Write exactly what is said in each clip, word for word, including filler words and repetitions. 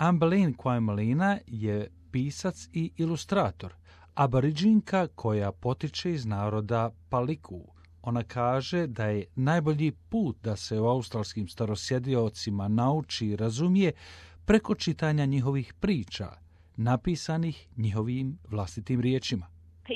Amberlin Kwajmalina je pisac i ilustrator, aboriđinka koja potiče iz naroda Paliku. Ona kaže da je najbolji put da se o australskim starosjediocima nauči i razumije preko čitanja njihovih priča, napisanih njihovim vlastitim riječima.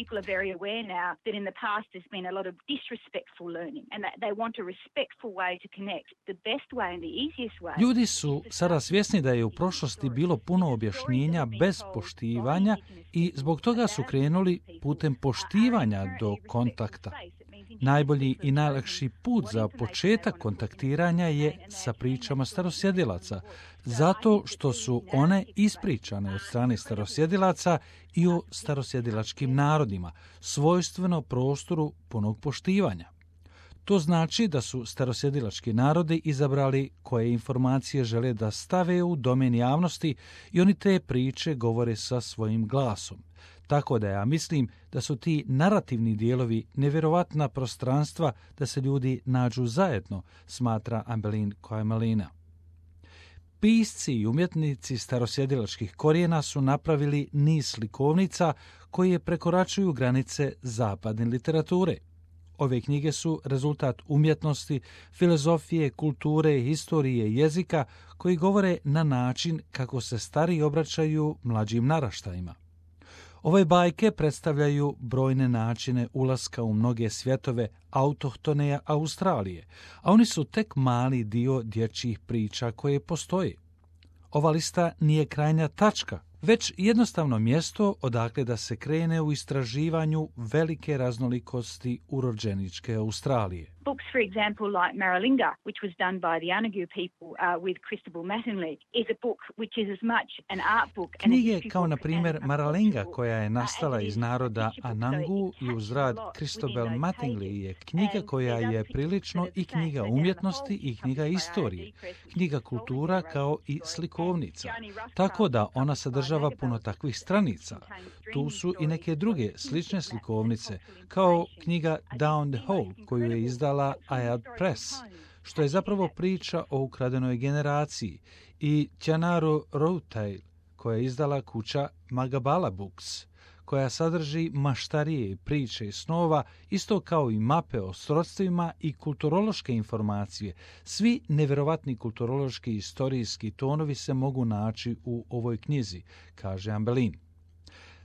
People are very aware now that in the past there's been a lot of disrespectful learning and that they want a respectful way to connect. The best way and the easiest way. Ljudi su sada svjesni da je u prošlosti bilo puno objašnjenja bez poštivanja i zbog toga su krenuli putem poštivanja do kontakta. Najbolji i najlakši put za početak kontaktiranja je sa pričama starosjedilaca, zato što su one ispričane od strane starosjedilaca i o starosjedilačkim narodima, svojstveno prostoru punog poštivanja. To znači da su starosjedilački narodi izabrali koje informacije žele da stave u domen javnosti i oni te priče govore sa svojim glasom. Tako da ja mislim da su ti narativni dijelovi nevjerovatna prostranstva da se ljudi nađu zajedno, smatra Amberlin Kwajmalina. Pisci i umjetnici starosjedilačkih korijena su napravili niz slikovnica koje prekoračuju granice zapadne literature. Ove knjige su rezultat umjetnosti, filozofije, kulture, historije, jezika koji govore na način kako se stari obraćaju mlađim naraštajima. Ove bajke predstavljaju brojne načine ulaska u mnoge svjetove autohtone Australije, a oni su tek mali dio dječjih priča koje postoje. Ova lista nije krajnja tačka, već jednostavno mjesto odakle da se krene u istraživanju velike raznolikosti urođeničke Australije. Books, for example, like Maralinga, which was done by the Anangu people uh, with Christabel Mattingly, is a book which is as much an art book and a Knjige history kao, book na primjer, and a Maralinga, cultural koja je book, nastala uh, as iz it is naroda history book, so Anangu it i uz captures rad a lot Christabel within those Mattingly pages. je knjiga And koja there's other je pictures prilično that are i the same. knjiga So down the umjetnosti whole i knjiga published by istorije, R and D Press, knjiga which is kultura always kao i story. slikovnica. And Johnny Rothschild, Tako da ona published by sadržava Magabell, puno takvih which stranica. contains Tu dream su i stories, neke druge stories, slične maps and slikovnice, cultural kao information. knjiga I think Down the the Hole, most koju je incredible izdala cultural Ayad story Press, from home. što je zapravo priča o ukradenoj generaciji, i Tjanaru Routail, koja je izdala kuća Magabala Books, koja sadrži maštarije, priče i snova, isto kao i mape o srodstvima i kulturološke informacije. Svi nevjerovatni kulturološki i istorijski tonovi se mogu naći u ovoj knjizi, kaže Amberlin.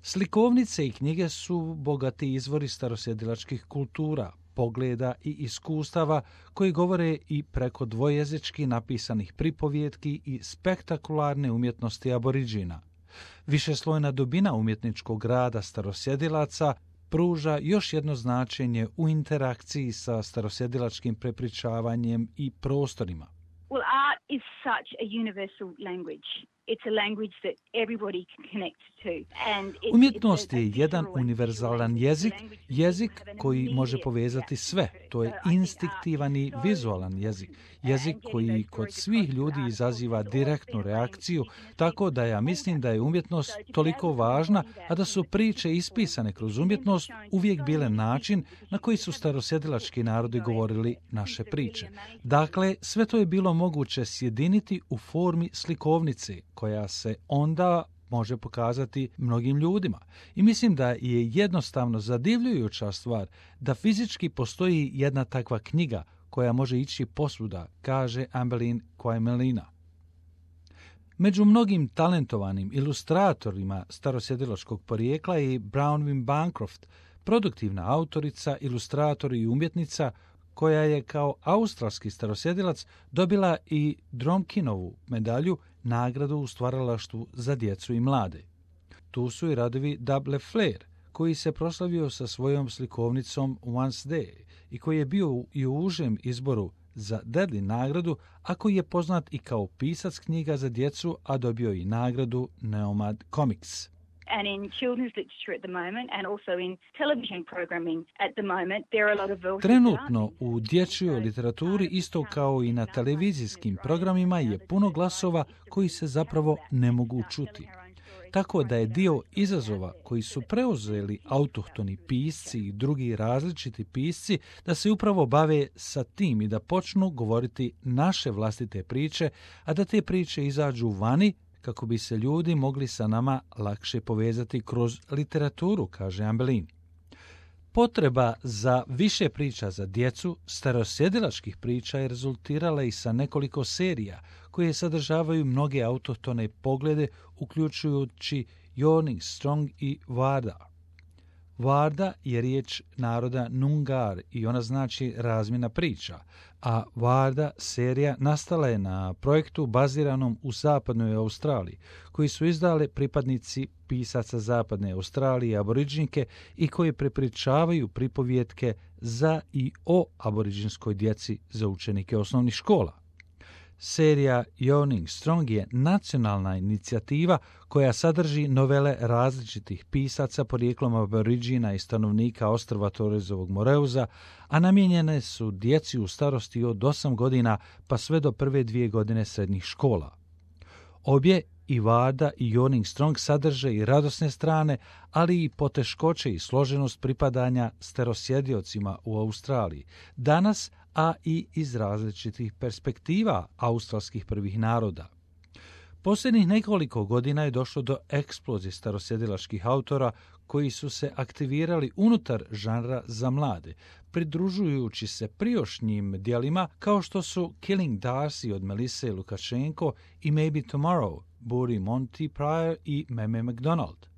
Slikovnice i knjige su bogati izvori starosjedilačkih kultura, pogleda i iskustava koji govore i preko dvojezički napisanih pripovjetki i spektakularne umjetnosti aboriđina. Višeslojna dubina umjetničkog rada starosjedilaca pruža još jedno značenje u interakciji sa starosjedilačkim prepričavanjem i prostorima. Well, art is such a universal language. It's a language that everybody can connect to. And it's, Umjetnost it's a, a je jedan visual and univerzalan visual jezik, language that jezik have an koji može immediate povezati reaction sve. to it. To je So I think instinktivan i art is so vizualan jezik. important. Jezik And getting koji those kod stories svih across to ljudi art izaziva has always direktnu been a way of reakciju, speaking tako da ja to mislim da je umjetnost So to be toliko able to važna, embody that a da in su the priče physical ispisane form, kroz it's umjetnost showing uvijek so bile many način people na koji su starosjedilački narodi govorili naše priče. Dakle, sve to je bilo moguće sjediniti u formi slikovnice, koja se onda može pokazati mnogim ljudima. I mislim da je jednostavno zadivljujuća stvar da fizički postoji jedna takva knjiga koja može ići posvuda, kaže Amberlin Kwajmalina. Među mnogim talentovanim ilustratorima starosjedilačkog porijekla je Bronwyn Bancroft, produktivna autorica, ilustrator i umjetnica koja je kao australski starosjedilac dobila i Dromkinovu medalju, nagradu u stvaralaštvu za djecu i mlade. Tu su i radovi Double Flair, koji se proslavio sa svojom slikovnicom Once Day i koji je bio i u užem izboru za Dedley nagradu, a koji je poznat i kao pisac knjiga za djecu, a dobio i nagradu Nomad Comics. And in children's literature at the moment, and also in television programming at the moment, there are a lot of voices. Trenutno u dječjoj literaturi, isto kao i na televizijskim programima, je puno glasova koji se zapravo ne mogu čuti. Tako da je dio izazova koji su preuzeli autohtoni pisci i drugi različiti pisci da se upravo bave sa tim i da počnu govoriti naše vlastite priče, a da te priče izađu vani kako bi se ljudi mogli sa nama lakše povezati kroz literaturu, kaže Ambelin. Potreba za više priča za djecu, starosjedilačkih priča je rezultirala i sa nekoliko serija koje sadržavaju mnoge autohtone poglede, uključujući Yawning Strong i Varda. Varda je riječ naroda Nungar i ona znači razmjena priča, a Varda serija nastala je na projektu baziranom u zapadnoj Australiji, koji su izdale pripadnici pisaca zapadne Australije, aboriđinke, i koji prepričavaju pripovjetke za i o aboriđinskoj djeci za učenike osnovnih škola. Serija Yawning Strong je nacionalna inicijativa koja sadrži novele različitih pisaca porijeklom aboriđina i stanovnika ostrva Torresovog Moreuza, a namijenjene su djeci u starosti od osam godina pa sve do prve dvije godine srednjih škola. Obje, i Varda i Yawning Strong, sadrže i radosne strane, ali i poteškoće i složenost pripadanja starosjediocima u Australiji danas, a i iz različitih perspektiva australskih prvih naroda. Posljednjih nekoliko godina je došlo do eksplozije starosjedilačkih autora koji su se aktivirali unutar žanra za mlade, pridružujući se prijašnjim djelima kao što su Killing Darcy od Melisse Lukashenko i Maybe Tomorrow, Buri Monty Pryor i Meme McDonald.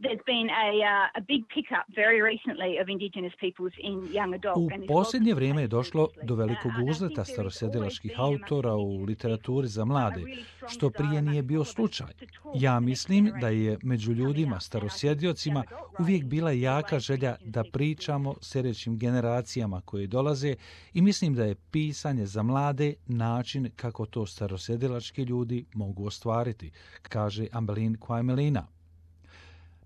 There's been a, uh, a big pickup very recently of Indigenous peoples in young adult. U posljednje vrijeme je došlo do velikog uzleta starosjedilačkih autora u literaturi za mlade, što prije nije bio slučaj. Ja mislim da je među ljudima starosjediocima uvijek bila jaka želja da pričamo sljedećim generacijama koje dolaze i mislim da je pisanje za mlade način kako to starosjedilački ljudi mogu ostvariti, kaže Ambelin Quaimelina.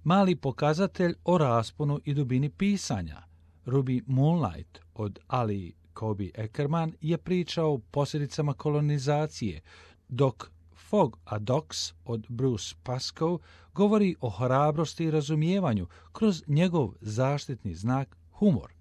Mali pokazatelj o rasponu i dubini pisanja. Ruby Moonlight od Ali Kobe Eckerman je pričao o posljedicama kolonizacije, dok Fog a Docs od Bruce Pascoe govori o hrabrosti i razumijevanju kroz njegov zaštitni znak humor.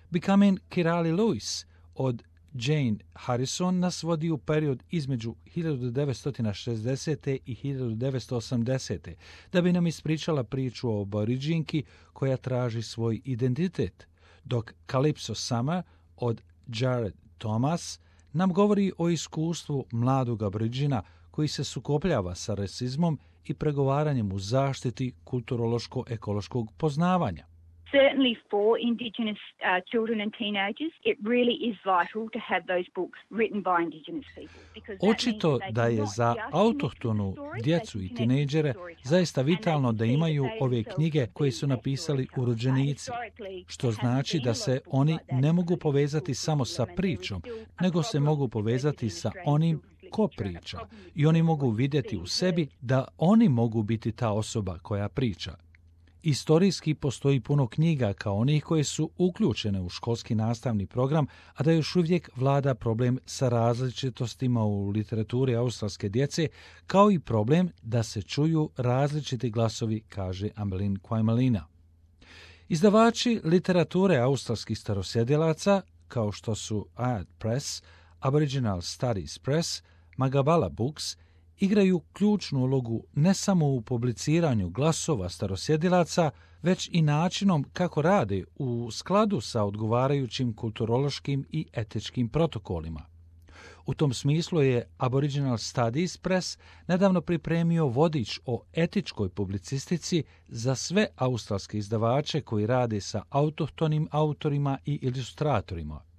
Becoming Kirali Lewis od Jane Harrison nas vodi u period između hiljadu devetsto šezdesete. i hiljadu devetsto osamdesete. da bi nam ispričala priču o aboriđinki koja traži svoj identitet, dok Calypso Summer od Jared Thomas nam govori o iskustvu mladog aboriđina koji se sukobljava sa rasizmom i pregovaranjem u zaštiti kulturološko-ekološkog poznavanja. Certainly for Indigenous uh, children and teenagers, it really is vital to have those books written by Indigenous people. Očito da je za autohtonu djecu i tinejdžere zaista vitalno da imaju ove knjige koje su napisali urođenici, što znači da se oni ne mogu povezati samo sa pričom, nego se mogu povezati sa onim ko priča i oni mogu vidjeti u sebi da oni mogu biti ta osoba koja priča. Istorijski postoji puno knjiga kao onih koje su uključene u školski nastavni program, a da još uvijek vlada problem sa različitostima u literaturi australske djece, kao i problem da se čuju različiti glasovi, kaže Ambelin Quaimelina. Izdavači literature australskih starosjedilaca, kao što su Ayat Press, Aboriginal Studies Press, Magabala Books, igraju ključnu ulogu ne samo u publiciranju glasova starosjedilaca, već i načinom kako rade u skladu sa odgovarajućim kulturološkim i etičkim protokolima. U tom smislu je Aboriginal Studies Press nedavno pripremio vodič o etičkoj publicistici za sve australske izdavače koji rade sa autohtonim autorima i ilustratorima.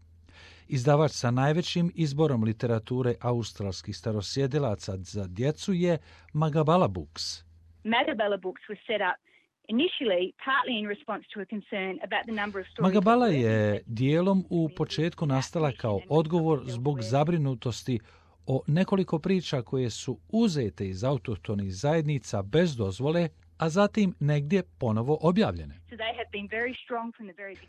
Izdavač sa najvećim izborom literature australskih starosjedilaca za djecu je Magabala Books. Magabala Books was set up initially partly in response to a concern about the number of stories. Magabala je dijelom u početku nastala kao odgovor zbog zabrinutosti o nekoliko priča koje su uzete iz autohtonih zajednica bez dozvole, a zatim negdje ponovo objavljene.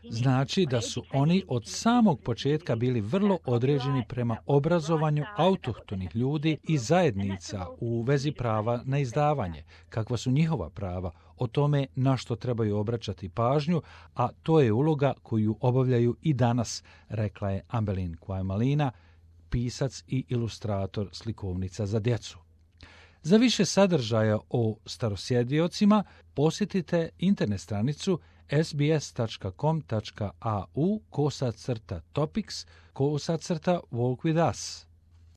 Znači da su oni od samog početka bili vrlo određeni prema obrazovanju autohtonih ljudi i zajednica u vezi prava na izdavanje, kakva su njihova prava, o tome na što trebaju obraćati pažnju, a to je uloga koju obavljaju i danas, rekla je Ambelin Quaimelina, pisac i ilustrator slikovnica za djecu. Za više sadržaja o starosjediocima posjetite internet stranicu sbs.com.au kosacrta topics kosacrta walk with us.